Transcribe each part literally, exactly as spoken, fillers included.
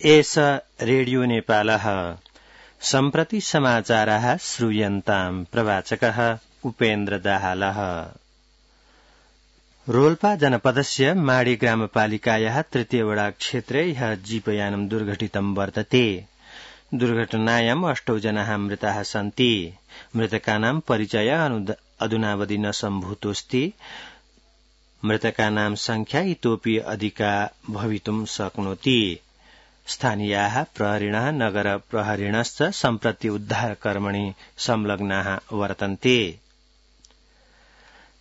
एष रेडियो नेपालः सम्प्रति समाचाराः श्रूयन्ताम् प्रवाचकः उपेन्द्र दाहालः। रोल्पा जनपदस्य माडी ग्रामपालिकायाः तृतीय वडा क्षेत्रे ह्यः जीपयानं दुर्घटितं वर्तते। दुर्घटनायाम् अष्टौ जनाः मृताः सन्ति। मृतकानां परिचय अधुनावधि न सम्भूतोऽस्ति। मृतकानां संख्या इतोऽपि अधिका भवितुं शक्नोति। स्थानीयाः प्रहरिणः नगर प्रहरिणश्च सम्प्रति उद्धारकर्मणि संलग्नाः वर्तन्ते।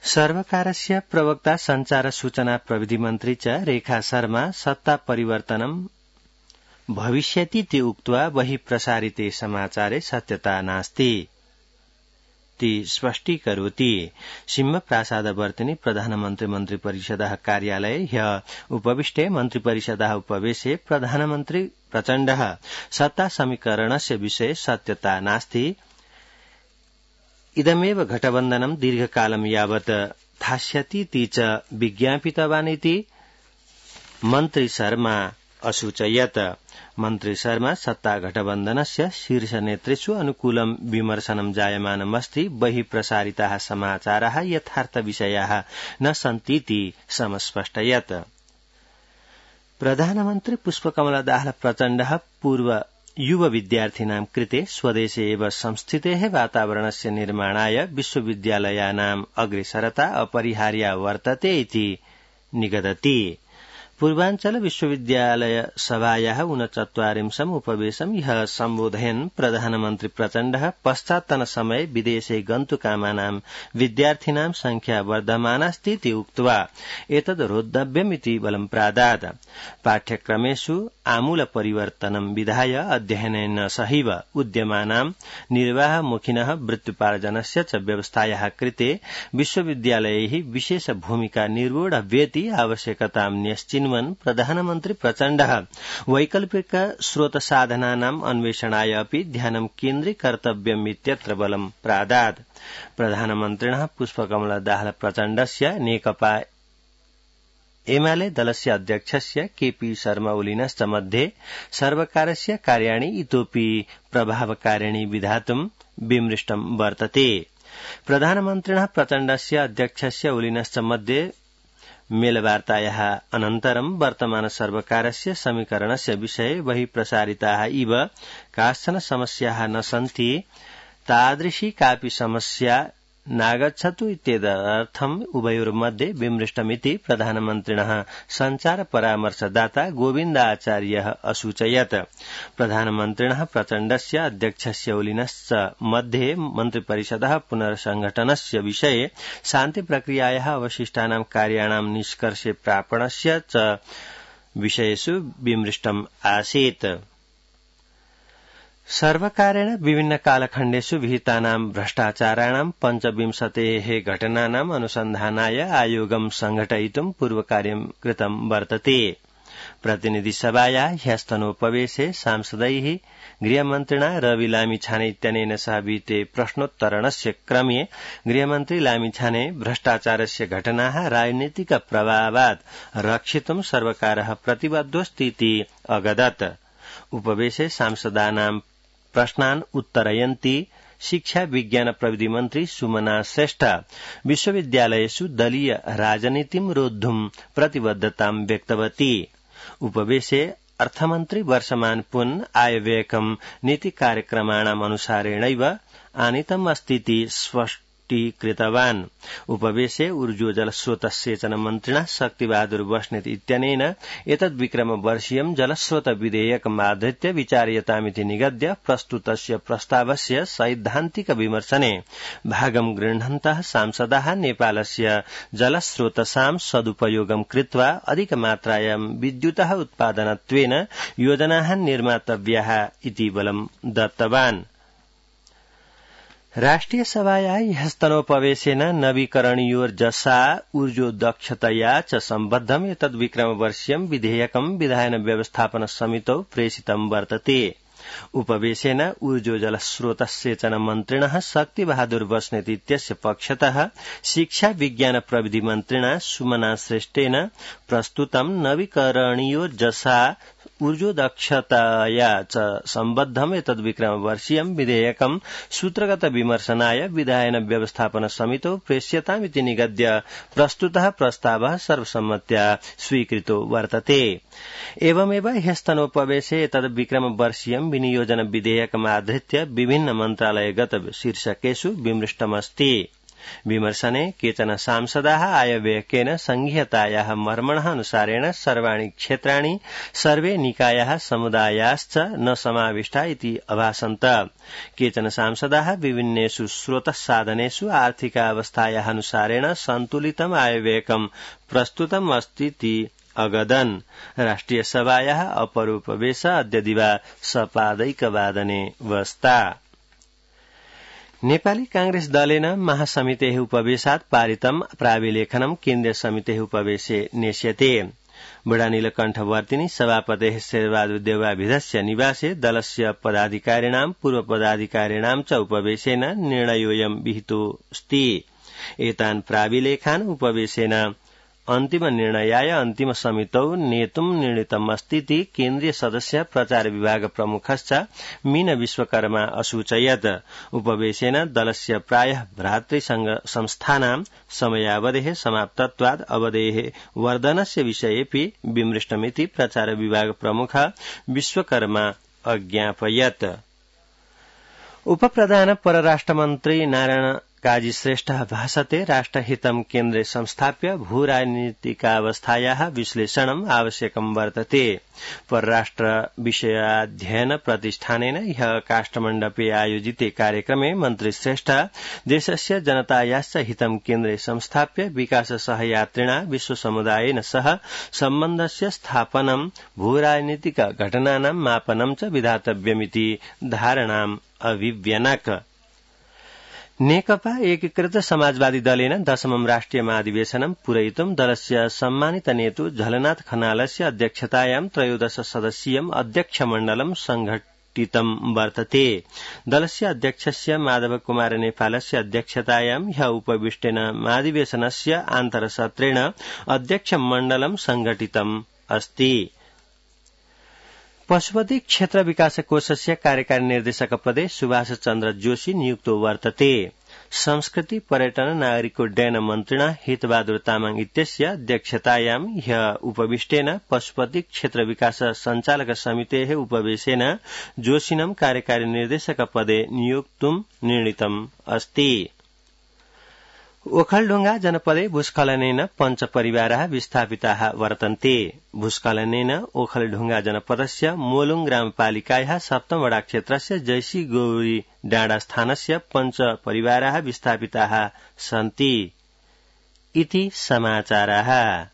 सर्वकारस्य प्रवक्ता संचार सूचना प्रविधि मन्त्री च रेखा शर्मा सत्ता परिवर्तनं भविष्यतीति उक्त्वा बहिः प्रसारिते समाचारे सत्यता नास्ति ति स्पष्टीकरोति। सिंहप्रासादवर्तिनि प्रधानमन्त्री मन्त्रिपरिषदः कार्यालये ह्यः उपविष्टे मन्त्रिपरिषदः उपवेशे प्रधानमन्त्री प्रचण्डः सत्ता समीकरणस्य विषये सत्यता नास्ति, इदमेव घटबन्धनं दीर्घकालं यावत् थास्यतीति च विज्ञापितवान् इति मन्त्री शर्मा असूचयत्। मन्त्री शर्मा सत्ता घटबन्धनस्य शीर्षनेतृषु अनुकूलं विमर्शनं जायमानमस्ति। बहिः प्रसारिताः समाचाराः यथार्थविषयाः न सन्तीति समस्पष्टयत्। प्रधानमन्त्री पुष्पकमल दाहाल प्रचण्डः पूर्व युव विद्यार्थिनां कृते स्वदेशे एव संस्थितेः वातावरणस्य निर्माणाय विश्वविद्यालयानाम् अग्रेसरता अपरिहार्या वर्तते इति निगदति। पूर्वाञ्चल विश्वविद्यालय सभायाः ऊनचत्वारिंशम् उपवेशम् ह्यः सम्बोधयन् प्रधानमन्त्री प्रचण्डः पश्चात्तनसमये विदेशे गन्तुकामानां विद्यार्थिनां संख्या वर्धमानास्ति इति उक्त्वा एतद् रोद्धव्यमिति बलं प्रादात्। पाठ्यक्रमेषु आमूल परिवर्तनं विधाय अध्ययनेन सहैव उद्यमानां निर्वाहमुखिनः वृत्त्युपार्जनस्य च व्यवस्थायाः कृते विश्वविद्यालयैः विशेष भूमिका निर्वोढव्येति आवश्यकतां न्यश्चिन् प्रधानमन्त्री प्रचण्डः वैकल्पिक स्रोतसाधनानाम् अन्वेषणाय अपि ध्यानं केन्द्रीकर्तव्यमित्यत्र बलं प्रादात्। प्रधानमन्त्रिणः पुष्पकमल दाहाल प्रचण्डस्य नेकपा एमाले दलस्य अध्यक्षस्य केपी शर्मा ओलीनश्च मध्ये सर्वकारस्य कार्याणि इतोऽपि प्रभावकारिणि विधातुं विमृष्टं वर्तते। प्रधानमन्त्रिणः प्रचण्डस्य अध्यक्षस्य ओलीनश्च मध्ये मेलवार्तायाः अनन्तरं वर्तमान सर्वकारस्य समीकरणस्य विषये बहिः प्रसारिताः इव काश्चन समस्याः न सन्ति, तादृशी कापि समस्या नागच्छतु इत्येतदर्थम् उभयोर्मध्ये विमृष्टमिति प्रधानमन्त्रिणः सञ्चार परामर्शदाता गोविन्दाचार्यः असूचयत्। प्रधानमन्त्रिणः प्रचण्डस्य अध्यक्षस्य ओलीनश्च मध्ये मन्त्रिपरिषदः पुनर्संघटनस्य विषये शान्तिप्रक्रियायाः अवशिष्टानां कार्याणां निष्कर्षे प्रापणस्य च विषयेषु विमृष्टम् आसीत्। सर्वकारेण विभिन्न कालखण्डेषु विहितानां भ्रष्टाचाराणां पञ्चविंशतेः घटनानाम् अनुसन्धानाय आयोगं संघटयितुं पूर्वकार्यं कृतं वर्तते। प्रतिनिधिसभाया ह्यस्तनोपवेशे सांसदैः गृहमन्त्रिणा रवि लामिछाने इत्यनेन सह विहिते प्रश्नोत्तरणस्य क्रमे गृहमन्त्री लामिछाने भ्रष्टाचारस्य घटनाः राजनीतिक प्रभावात् रक्षितुं सर्वकारः प्रतिबद्धोऽस्ति इति अगदत्। उपवेशे सांसदानां प्रश्नान् उत्तरयन्ती शिक्षा विज्ञान प्रविधि मन्त्री सुमना श्रेष्ठ विश्वविद्यालयेषु दलीय राजनीतिं रोद्धुं प्रतिबद्धतां व्यक्तवती। उपवेशे अर्थमन्त्री वर्षमान पुन् आयव्ययकं नीति कार्यक्रमाणाम् अनुसारेणैव आनीतम् अस्तीति स्पष्टीकृतवान्। उपवेशे ऊर्जोजलस्रोतसेचन मन्त्रिणा शक्तिबहादुर बस्नेत इत्यनेन एतद् विक्रमवर्षीयं जलस्रोत विधेयकमाधृत्य विचार्यतामिति निगद्य प्रस्तुतस्य प्रस्तावस्य सैद्धान्तिक विमर्शने भागं गृह्णन्तः सांसदाः नेपालस्य जलस्रोतसां सदुपयोगं कृत्वा अधिकमात्रायां विद्युतः उत्पादनत्वेन योजनाः निर्मातव्याः इति बलं दत्तवान्। राष्ट्रिय सभाया ह्यस्तनोपवेशेन नवीकरणीयोर्जसा ऊर्जोदक्षतया च सम्बद्धम् एतद् विक्रमवर्षीयं विधेयकं विधायन व्यवस्थापन समितौ प्रेषितं वर्तते। उपवेशेन ऊर्जोजलस्रोतसेचन मन्त्रिणः शक्तिबहादुर बस्नेत इत्यस्य पक्षतः शिक्षा विज्ञान प्रविधि मन्त्रिणा सुमना श्रेष्ठेन प्रस्तुतं नवीकरणीयोर्जसा ऊर्जोदक्षतया च सम्बद्धम् एतद्विक्रमवर्षीयम् विधेयकम् सूत्रगत विमर्शनाय विधायन व्यवस्थापन समितौ प्रेष्यतामिति निगद्य प्रस्तुतः प्रस्तावः सर्वसम्मत्या स्वीकृतो वर्तते। एवमेव ह्यस्तनोपवेशे एतद्विक्रमवर्षीयम् विनियोजन विधेयकमाधृत्य विभिन्न मन्त्रालयगत शीर्षकेषु विमृष्टमस्ति। विमर्शने केचन सांसदाः आयव्ययकेन संघीयतायाः मर्मणः अनुसारेण सर्वाणि क्षेत्राणि सर्वे निकायाः समुदायाश्च न समाविष्टा इति अभासन्त। केचन सांसदाः विभिन्नेषु स्रोतसाधनेषु आर्थिकावस्थायाः अनुसारेण सन्तुलितम् आयव्ययकम् प्रस्तुतम् अस्तीति अगदन्। राष्ट्रियसभायाः अपरोपवेश अद्य दिवा सपादैकवादने वस्ता। नेपाली कांग्रेस दलेन महासमितेः उपवेशात् पारितम् प्राविलेखनम् केन्द्रीय समितेः उपवेशे नेष्यते। बुढा नीलकण्ठवर्तिनी सभापतेः शेरबहादुर देवाभिधस्य निवासे दलस्य पदाधिकारिणां पूर्वपदाधिकारिणां च उपवेशेन निर्णयोऽयं विहितोऽस्ति। एतान् प्राविलेखान् उपवेशेन अन्तिम निर्णयाय अन्तिम समितौ नेतुम् निर्णीतमस्तीति केन्द्रीय सदस्य प्रचार विभाग प्रमुखश्च मीन विश्वकर्मा असूचयत्। उपवेशेन दलस्य प्रायः भ्रातृसंघ संस्थानां समयावधेः समाप्तत्वात् अवधेः वर्धनस्य विषयेऽपि विमृष्टमिति प्रचार विभाग प्रमुख विश्वकर्मा अज्ञापयत्। उपप्रधान परराष्ट्रमन्त्री नारायण काजी श्रेष्ठः भाषते राष्ट्रहितं केन्द्रे संस्थाप्य भूराजनीतिकावस्थायाः विश्लेषणम् आवश्यकं वर्तते। परराष्ट्र विषयाध्ययन प्रतिष्ठानेन ह्यः काष्ठमण्डपे आयोजिते कार्यक्रमे मन्त्री श्रेष्ठ देशस्य जनतायाश्च हितं केन्द्रे संस्थाप्य विकाससहयात्रिणा विश्वसमुदायेन सह सम्बन्धस्य स्थापनं भूराजनीतिक घटनानां मापनं च विधातव्यमिति धारणाम् अभिव्यनक। नेकपा एकीकृत समाजवादी दलेन दशमं राष्ट्रिय महाधिवेशनं पूरयितुं दलस्य सम्मानित नेतु झलनाथ खनालस्य अध्यक्षतायां त्रयोदश सदस्यीयम् अध्यक्षमण्डलं संघटितं वर्तते। दलस्य अध्यक्षस्य माधव कुमार नेपालस्य अध्यक्षतायां ह्यः उपविष्टेन महाधिवेशनस्य आन्तरसत्रेण अध्यक्षमण्डलं संघटितम् अस्ति। पशुपति क्षेत्र विकास कोषस्य कार्यकारी निर्देशक पदे सुभाष चन्द्र जोशी नियुक्तो वर्तते। संस्कृति पर्यटन नागरिकोड्डयन मन्त्रिणा हितबहादुर तामाङ इत्यस्य अध्यक्षतायां ह्यः उपविष्टेन पशुपति क्षेत्र विकास सञ्चालक समितेः उपवेशेन जोशिनं कार्यकारी निर्देशक पदे नियोक्तुं निर्णीतम् अस्ति। ओखलढुंगा जनपदे भूस्खलनेन पञ्च परिवाराः विस्थापिताः वर्तन्ते। भूस्खलनेन ओखलढुंगा जनपदस्य मोलुङ ग्रामपालिकायाः सप्तम वडा क्षेत्रस्य जयसी गौरी डाँडा स्थानस्य पञ्च परिवाराः विस्थापिताः सन्ति इति समाचाराः।